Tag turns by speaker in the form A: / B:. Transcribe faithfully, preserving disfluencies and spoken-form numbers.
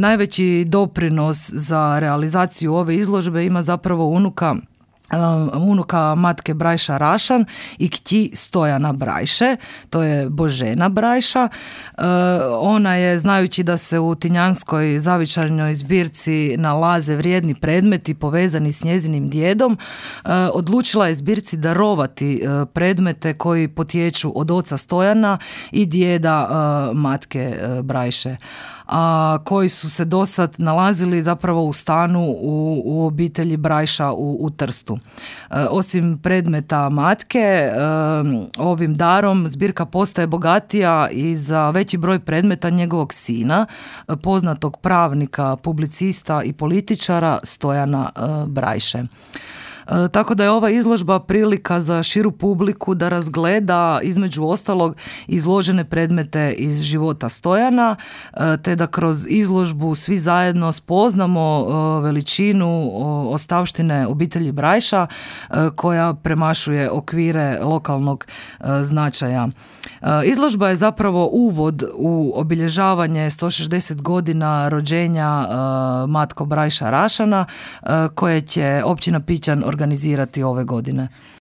A: najveći doprinos za realizaciju ove izložbe ima zapravo unuka unuka matke Brajša Rašan i kći Stojana Brajše, to je Božena Brajša. Ona je, znajući da se u Tinjanskoj zavičajnoj zbirci nalaze vrijedni predmeti povezani s njezinim djedom, odlučila je zbirci darovati predmete koji potječu od oca Stojana i djeda matke Brajše, a koji su se dosad nalazili zapravo u stanu u, u obitelji Brajša u, u Trstu. E, osim predmeta matke, e, ovim darom zbirka postaje bogatija i za veći broj predmeta njegovog sina, poznatog pravnika, publicista i političara Stojana e, Brajše. E, tako da je ova izložba prilika za širu publiku da razgleda između ostalog izložene predmete iz života Stojana, e, te da kroz izložbu svi zajedno spoznamo e, veličinu o, ostavštine obitelji Brajša e, koja premašuje okvire lokalnog e, značaja. E, izložba je zapravo uvod u obilježavanje sto šezdeset godina rođenja e, matko Brajša Rašana e, koje će općina Pićan organizirati ove godine.